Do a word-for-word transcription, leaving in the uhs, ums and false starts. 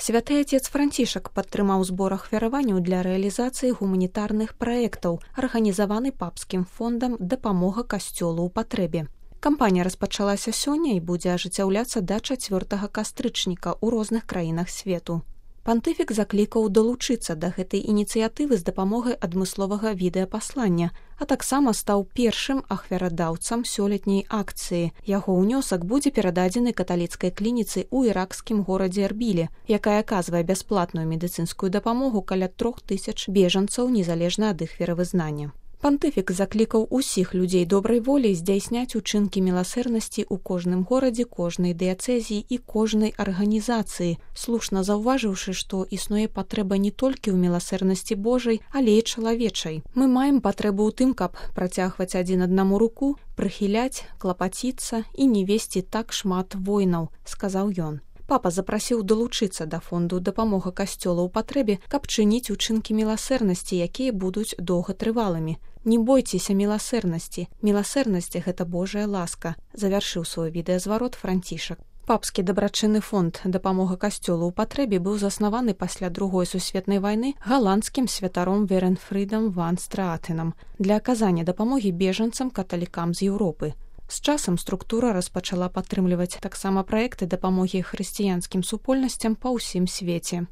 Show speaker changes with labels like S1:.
S1: Святы Отец Францішак падтрымаў збор ахвяраванняў для рэалізацыі гуманітарных праектаў, арганізаваны папскім фондам «Дапамога касцёлу ў патрэбе». Кампанія распачалася сёння і будзе ажыццяўляцца да чацвёртага кастрычніка ў розных краінах свету. Пантыфік заклікаў далучыцца да гэтай ініцыятывы з дапамогай адмысловага відэапаслання, а таксама стаў першым ахвярадаўцам сёлетняй акцыі. Яго ўнёсак будзе перададзены каталіцкай клініцы ў іракскім горадзе Эрбіле, якая аказвае бясплатную медыцынскую дапамогу каля трох тысяч бежанцаў незалежна ад іх веравызнання. Пантыфік заклікаў усіх людзей добрай волі здзяйсняць учынкі міласэрнасці ў кожным горадзе, кожнай дыяцэзіі і кожнай арганізацыі, слушна заўважыўшы, што існуе патрэба не толькі ў міласэрнасці Божай, але і чалавечай. Мы маем патрэбу ў тым, каб працягваць адзін аднаму руку, прыхіляць, клапаціцца і не весці так шмат войнаў, сказаў ён. Папа запрасіў далучыцца да фонду «Дапамога касцёла ў патрэбе», каб чыніць учынкі міласэрнасці, якія будуць доўгатрывалымі. Не бойцеся міласэрнасці. Міласэрнасць – гэта Божая ласка, завяршыў свой відэазварот Францішак. Папскі дабрачынны фонд «Дапамога касцёлу ў патрэбе» быў заснаваны пасля другой сусветнай вайны галандскім святаром Веренфрідам ван Страатенам для аказання дапамогі бежанцам-каталікам з Еўропы. З часам структура распачала падтрымліваць таксама праекты дапамогі хрысціянскім супольнасцям па ўсім свеце.